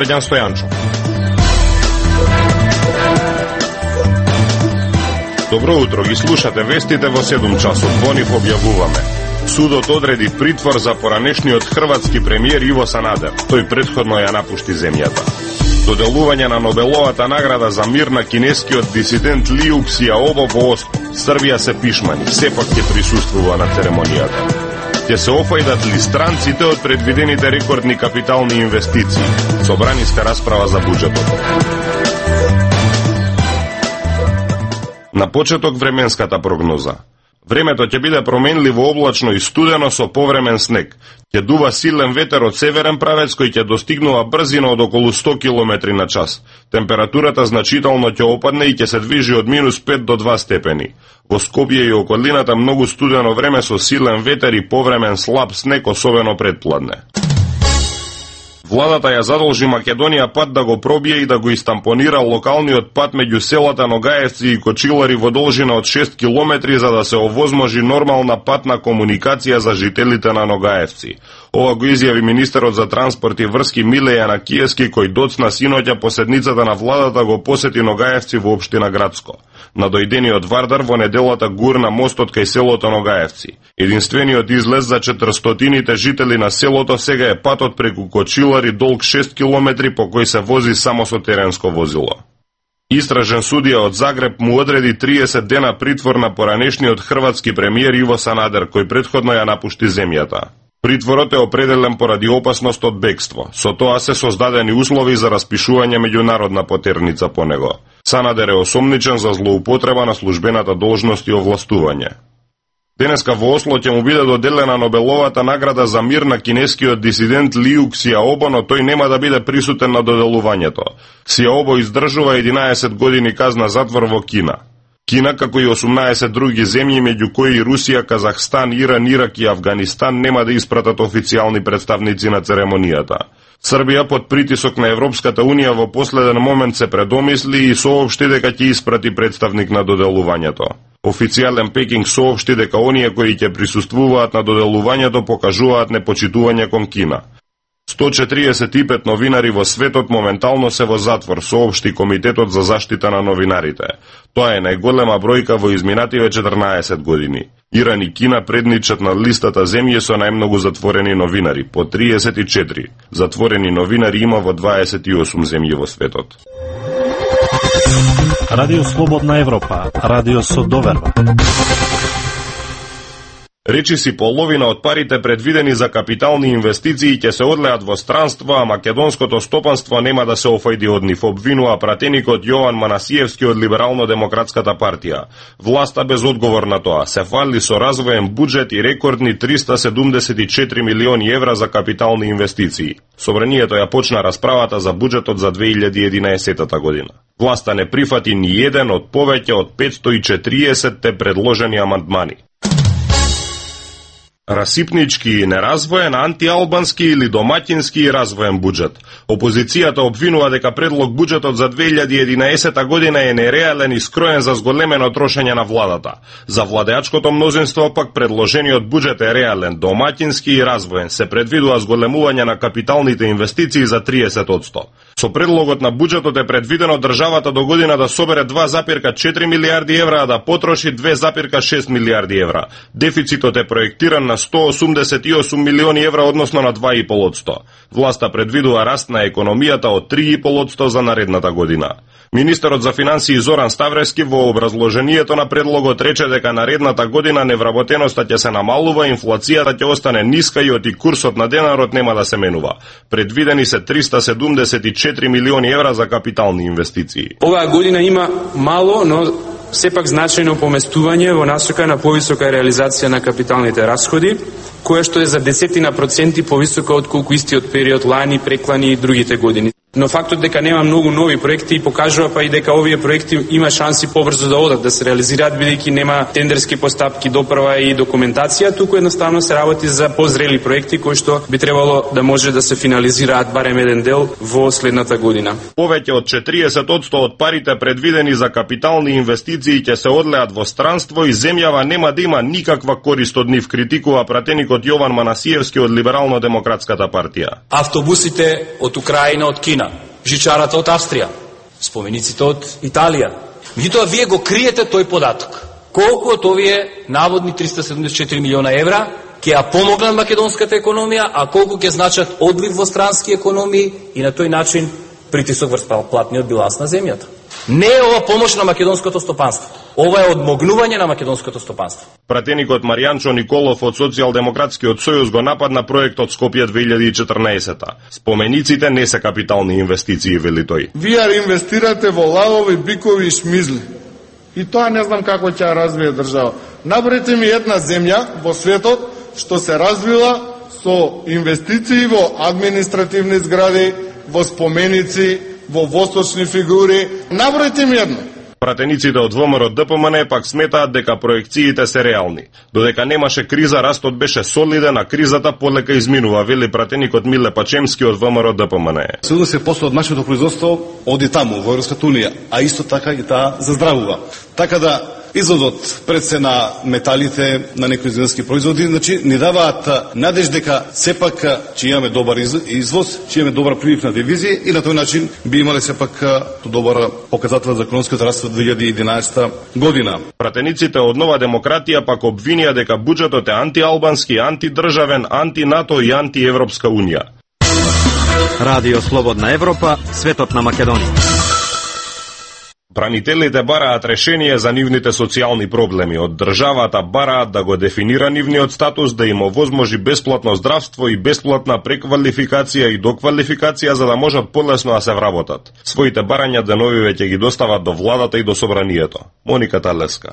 Срđan Стојанчо. Добро утро, ги слушате вестите во 7 часот. Во нив објавуваме: судот одреди притвор за поранешниот хрватски премиер Иво Санадер. Тој претходно ја напушти земјата. Доделување на Нобеловата награда за мир на кинескиот дисидент Лиу Ксијаобо во Осло. Србија се пишмани, сепак ќе присуствува на церемонијата. Ќе се офајдат ли странците од предвидените рекордни капитални инвестиции? Собраниска расправа за буџетот. На почеток временската прогноза. Времето ќе биде променливо облачно и студено со повремен снег. Ќе дува силен ветер од северен правец кој ќе достигнува брзина од околу 100 км на час. Температурата значително ќе опадне и ќе се движи од -5 до 2 степени. Во Скопје и околината многу студено време со силен ветер и повремен слаб снег, особено предпладне. Владата ја задолжи Македонија пат да го пробие и да го истампонира локалниот пат меѓу селата Ногаевци и Кочилари во должина од 6 км за да се овозможи нормална патна комуникација за жителите на Ногаевци. Ова го изјави министерот за транспорт и врски Миле Јанакиевски, кој доцна синоќа по седницата на владата го посети Ногаевци во општина Градско. На дојдениот Вардар во неделата гурна мостот кај селото Ногаевци. Единствениот излез за 400-тините жители на селото сега е патот преку Кочилари долг 6 км по кој се вози само со теренско возило. Истражен судија од Загреб му одреди 30 дена притвор на поранешниот хрватски премиер Иво Санадер, кој претходно ја напушти земјата. Притворот е определен поради опасност од бегство. Со тоа се создадени услови за распишување меѓународна потерница по него. Санадер е осомничен за злоупотреба на службената должност и овластување. Денеска во Осло ќе му биде доделена Нобеловата награда за мир на кинескиот дисидент Лиу Ксијаобо, но тој нема да биде присутен на доделувањето. Ксијаобо издржува 11 години казна затвор во Кина. Кина, како и 18 други земји, меѓу кои Русија, Казахстан, Иран, Ирак и Авганистан, нема да испратат официјални представници на церемонијата. Србија под притисок на Европската Унија во последен момент се предомисли и соопшти дека ќе испрати представник на доделувањето. Официјален Пекинг соопшти дека оние кои ќе присуствуваат на доделувањето покажуваат непочитување кон Кина. 145 новинари во светот моментално се во затвор, соопшти Комитетот за заштита на новинарите. Тоа е најголема бројка во изминативе 14 години. Иран и Кина предничат на листата земји со најмногу затворени новинари, по 34. Затворени новинари има во 28 земји во светот. Радио Слободна Европа, радио со доверба. Речиси половина од парите предвидени за капитални инвестиции ќе се одлеат во странство, а македонското стопанство нема да се офајди од нив, обвинува пратеникот Јован Манасиевски од Либерално-демократската партија. Власта без одговор на тоа се фали со развоен буџет и рекордни 374 милиони евра за капитални инвестиции. Собранието ја почна расправата за буџетот за 2011 година. Власта не прифати ни еден од повеќе од 540 предложени амандмани. Расипнички и неразвоен, антиалбански или домаќински и развоен буџет. Опозицијата обвинува дека предлог буџетот за 2011 година е нереален и скроен за зголемено трошење на владата. За владеачкото мнозинство пак предложениот буџет е реален, домаќински и развоен. Се предвидува зголемување на капиталните инвестиции за 30%. Со предлогот на буџетот е предвидено државата до година да собере 2,4 милиарди евра, а да потроши 2,6 милиарди евра. Дефицитот е проектиран на 188 милиони евра, односно на 2,5%. Власта предвидува раст на економијата од 3,5% за наредната година. Министерот за финансии Зоран Ставревски во образложението на предлогот рече дека наредната година невработеноста ќе се намалува, инфлацијата ќе остане ниска и оти курсот на денарот нема да се менува. Предвидени се 374 милиони евра за капитални инвестиции. Оваа година има мало, но сепак значајно поместување во насока на повисока реализација на капиталните расходи, која што е за 10% повисока од колку истиот период лани, преклани и другите години. Но фактот дека нема многу нови проекти покажува па и дека овие проекти има шанси побрзо да одат, да се реализираат, бидејќи нема тендерски постапки, доправа и документација, туку едноставно се работи за позрели проекти кои што би требало да може да се финализираат барем еден дел во следната година. Повеќе од 40% од парите предвидени за капитални инвестиции ќе се одлеат во странство и земјава нема да има никаква корист од нив, критикува пратеникот Јован Манасиевски од Либерално-демократската партија. Автобусите од Украина, од Кина, жичарата од Австрија, спомениците од Италија. Меѓутоа, вие го криете тој податок. Колку од овие наводни 374 милиона евра ќе ја помогнат македонската економија, а колку ќе значат одлив во странски економии и на тој начин притисок врз платниот биланс на земјата. Не е ова помош на македонското стопанство. Ова е одмогнување на македонското стопанство. Пратеникот Маријанчо Николов од Социјалдемократскиот сојуз го нападна проектот Скопје 2014-та. Спомениците не се капитални инвестиции, вели тој. Вие инвестирате во лавови, бикови и шмизли. И тоа не знам како ќе ја развие држава. Набрете ми една земја во светот што се развила со инвестиции во административни згради, во споменици, во восточни фигури. Набројте ми едно. Пратениците од ВМРО ДПМН пак сметаат дека проекциите се реални. Додека немаше криза, растот беше солиден, а кризата полека изминува, вели пратеникот Миле Пачемски од ВМРО ДПМН. 70% од нашето производство оди таму, во Европската унија, а исто така и таа заздравува. Така да извозот пред се на металите, на некои земјски производи, значи ни даваат надеж дека сепак ќе имаме добар извоз, ќе имаме добар прилив на девизи и на тој начин би имале сепак добар показател за економскиот раст во 2011 година. Пратениците од Нова демократија пак обвинија дека буџетот е антиалбански, антидржавен, антинато и антиевропска унија. Радио Слободна Европа, светот на Македонија. Бранителите бараат решение за нивните социјални проблеми. Од државата бараат да го дефинира нивниот статус, да им овозможи бесплатно здравство и бесплатна преквалификација и доквалификација за да можат полесно да се вработат. Своите барања деновиве ќе ги достават до владата и до собранието. Моника Талеска.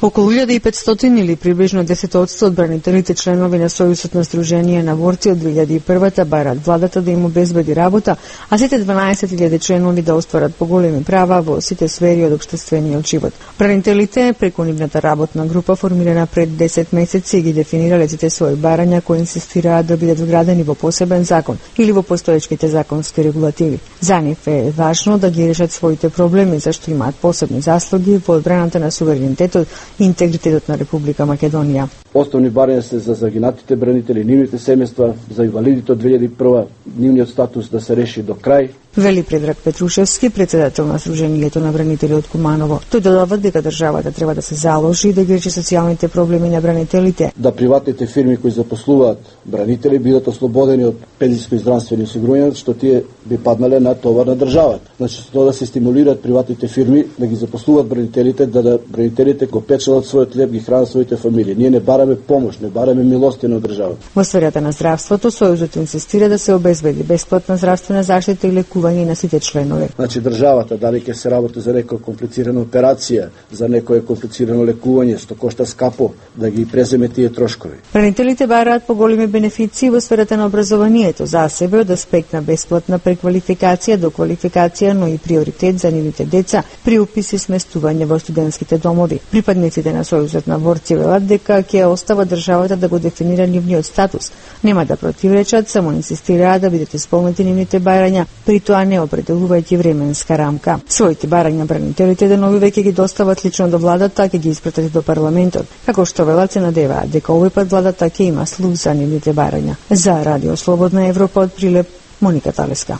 Околу 1500 или приближно 10% од бранителите членови на Сојузот на Сдружение на борци од 2001-та бараат владата да им обезбеди работа, а сите 12.000 членови да остварат поголеми права во сите сфери од општествениот живот. Бранителите преку нивната работна група формирана пред 10 месеци ги дефинирале сите своји барања кои инсистираат да бидат вградени во посебен закон или во постоечките законски регулативи. За нив е важно да ги решат своите проблеми зашто имаат посебни заслуги во одбраната на суверенитетот и интегритетот на Република Македонија. Основни барања се за загинатите бранители, нивните семејства, за инвалидите од 2001, нивниот статус да се реши до крај. Вели Предраг Петрушевски, председател на Сдруженијето на бранители од Куманово. Тој додава дека државата треба да се заложи да ги реши социјалните проблеми на бранителите. Да приватните фирми кои запослуваат бранители бидат ослободени од пензиско и здравствени осигурувања, што тие би паднале на товар на државата. Значи, тоа да се стимулираат приватните фирми да ги запослуваат бранителите, да бранителите го печелат својот леб, ги хранат своите фамилии. Ние не бараме помош, не бараме милостина од државата. Во сферата на здравството, Сојузот инсистира да се обезбеди бесплатна здравствена заштита и лекување на сите членови. Значи државата дали ќе се работи за некоја комплицирана операција, за некое комплицирано лекување што кошта скапо, да ги преземе тие трошкови. Бранителите бараат поголеми бенефиции во сферата на образованието за себе од аспект на бесплатна преквалификација, доквалификација, но и приоритет за нивните деца при упис и сместување во студентските домови. Припадниците на Сојузот на борци велат дека ќе остава државата да го дефинира нивниот статус. Нема да противречат, само инсистираат да бидат исполнети нивните барања, при тоа не определувајќи временска рамка. Своите барања бранителите денови веќе ги достават лично до владата, а ќе ги испратат до парламентот. Како што велат, се надеваат дека овој пат владата ќе има слух за нивните барања. За Радио Слободна Европа од Прилеп, Моника Талеска.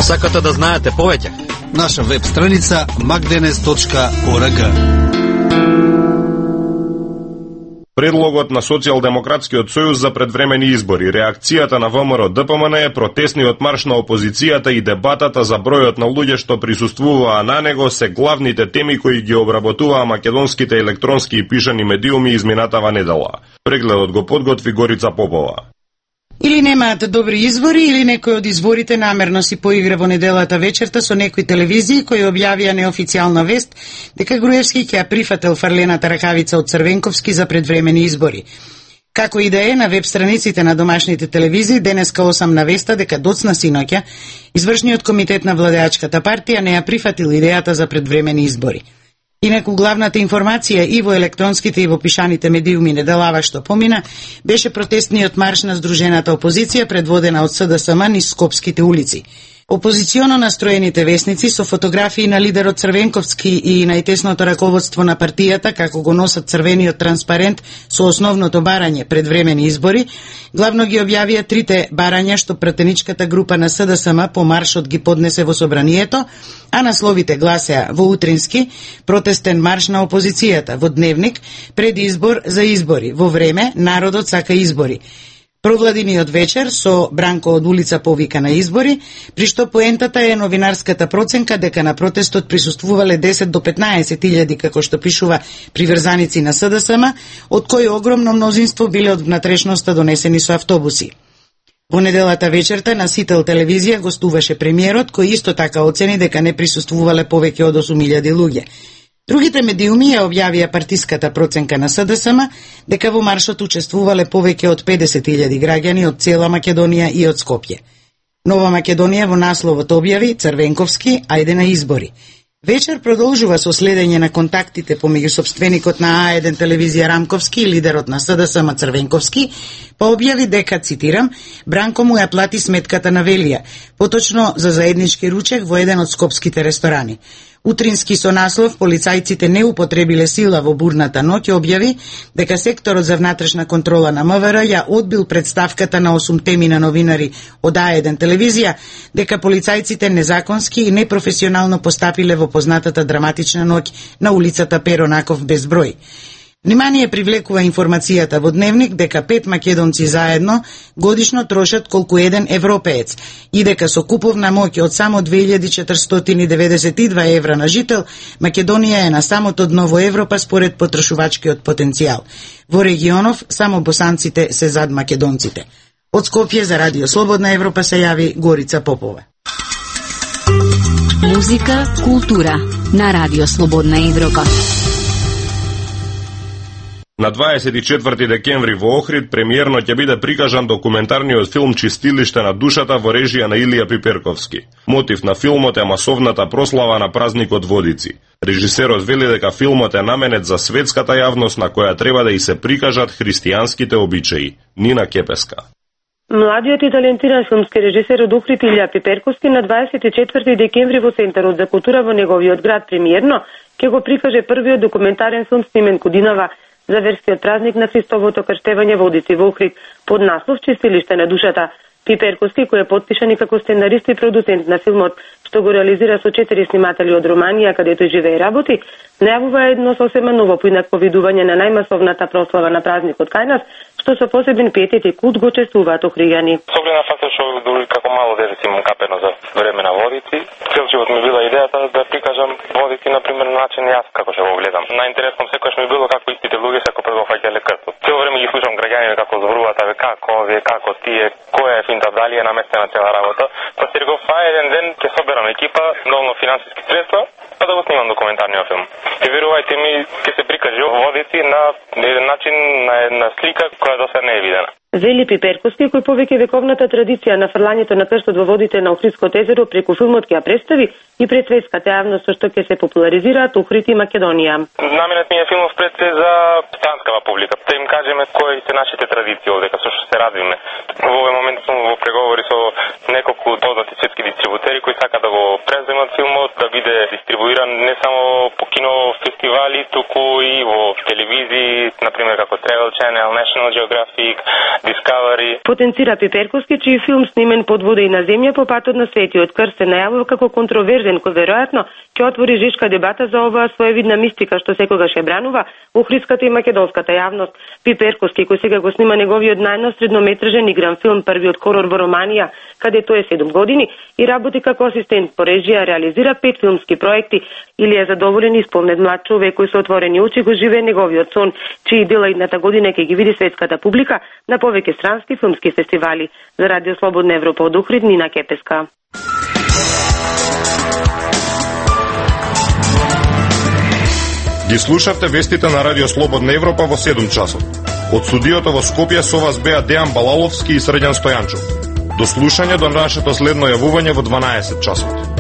Сакате да знаете повеќе? Наша веб страница magdenes.org. Предлогот на Социјалдемократскиот сојуз за предвремени избори, реакцијата на ВМРО ДПМН е протесниот марш на опозицијата и дебатата за бројот на луѓе што присуствуваа на него се главните теми кои ги обработуваа македонските електронски и пишани медиуми изминатава недела. Прегледот го подготви Горица Попова. Или немаат добри избори, или некој од изборите намерно си поигра во неделата вечерта со некои телевизии кои објавија неофицијална вест дека Груевски ќе ја прифател фарлената ракавица од Црвенковски за предвремени избори. Како и да е, на веб страниците на домашните телевизии денеска 8 навеста дека доцна синоќа извршниот комитет на владеачката партија не ја прифатил идејата за предвремени избори. Инаку главната информација и во електронските и во пишаните медиуми неделава што помина беше протестниот марш на здружената опозиција предводена од СДСМ низ скопските улици. Опозиционо настроените весници со фотографии на лидерот Црвенковски и најтесното раководство на партијата како го носат црвениот транспарент со основното барање пред времени избори, главно ги објавија трите барања што пратеничката група на СДСМ по маршот ги поднесе во собранието, а насловите гласеа: во утрински протестен марш на опозицијата, во дневник пред избор за избори, во време народот сака избори. Провладиниот вечер со Бранко од улица повика на избори, при што поентата е новинарската проценка дека на протестот присуствувале 10 до 15.000, како што пишува приврзаници на СДСМ, од кои огромно мнозинство биле од внатрешноста донесени со автобуси. Во неделата вечерта на Сител телевизија гостуваше премиерот, кој исто така оцени дека не присуствувале повеќе од 8.000 луѓе. Другите медиуми ја објавија партиската проценка на СДСМ дека во маршот учествувале повеќе од 50.000 граѓани од цела Македонија и од Скопје. Нова Македонија во насловот објави: Црвенковски, ајде на избори. Вечер продолжува со следење на контактите помеѓу сопственикот на А1 телевизија Рамковски и лидерот на СДСМ Црвенковски, па објави дека, цитирам, Бранко му ја плати сметката на Велија, поточно за заеднички ручек во еден од скопските ресторани. Утрински со наслов "Полицајците не употребиле сила во бурната ноќ" објави дека секторот за внатрешна контрола на МВР ја одбил представката на 8 теми на новинари од А1 телевизија дека полицајците незаконски и непрофесионално постапиле во познатата драматична ноќ на улицата Перо Наков без број. Внимание привлекува информацијата во дневник дека 5 македонци заедно годишно трошат колку еден европеец и дека со куповна моќ од само 2492 евра на жител, Македонија е на самото дно во Европа според потрошувачкиот потенцијал. Во регионов само босанците се зад македонците. Од Скопје за Радио Слободна Европа се јави Горица Попова. Музика, култура на Радио Слободна Европа. На 24 декември во Охрид премиерно ќе биде прикажан документарниот филм "Чистилиште на душата" во режија на Илија Пиперковски. Мотив на филмот е масовната прослава на празникот Водици. Режисерот вели дека филмот е наменет за светската јавност на која треба да и се прикажат христијанските обичаи. Нина Кепеска. Младиот и талентиран филмски режисер од Охрид Илија Пиперковски на 24 декември во Центарот за култура во неговиот град премиерно ќе го прикаже првиот документарен филм снимен годинава за верскиот празник на Христовото крштевање Водици во Охрид под наслов "Чистилиште на душата". Пиперковски, кој е потпишан и како сценарист и продуцент на филмот, што го реализира со 4 сниматели од Романија, кадето живее и работи, најавува едно сосема ново поинакво видување на најмасовната прослава на празникот кај нас, што со посебен пиетет и култ го чествуваат охријани. Со оглед на фактот што дури како мало дете си му капено за време на Водици, цел живот ми била идејата да прикажам Водици на пример начин јас како ќе го гледам. Најинтересно секогаш ми било како истите луѓе се како прво фаќале крстот. Цело време ги слушам граѓаните како зборуваат, абе како овие, како тие, која е финта, дали е наместена цела работа. Па се реков, еден ден ќе соберам екипа, доволно финансиски средства, па да го снимам документарниот филм. И верувајте ми, ќе се прикаже Водици на еден начин, на една слика која до сега не е видена. Вели Пиперковски, кој повеќе вековната традиција на фрлањето на крстот во водите на Охридското езеро преку филмот ќе ја представи и пред светската јавност со што ќе се популаризираат Охрид и Македонија. Наменет ми е филмов пред се за странскава публика, да им кажеме кои се нашите традиции овде, со што се радвиме. Во овој момент сум во преговори со неколку познати светски дистрибутери кои сакаат да го преземат филмот, да биде дистрибуиран не само по кинофестивали, туку и во телевизии, например како Travel Channel, National Geographic, Discovery. Потенцира Пиперковски, чиј филм снимен под вода и на земја по патот на Светиот крст се најавува како контроверзен, кој веројатно ќе отвори жешка дебата за оваа своевидна мистика што секогаш ја бранува охридската и македонската јавност. Пиперковски, кој сега го снима неговиот најнов среднометражен игран филм "Првиот хорор во Романија", каде тој е 7 години и работи како асистент по режија, реализира 5 филмски проекти или е задоволен и спомнет млад човек кој со отворени очи го живее неговиот сон, чии дела идната година ќе ги види светската публика на повеќе странски филмски фестивали. За Радио Слободна Европа од Охрид, Нина Кепеска. Ги слушавте вестите на Радио Слободна Европа во 7 часот. Од студиото во Скопје со вас беа Дејан Балаловски и Срđan Стојанчов. До слушање до нашето следно јавување во 12 часот.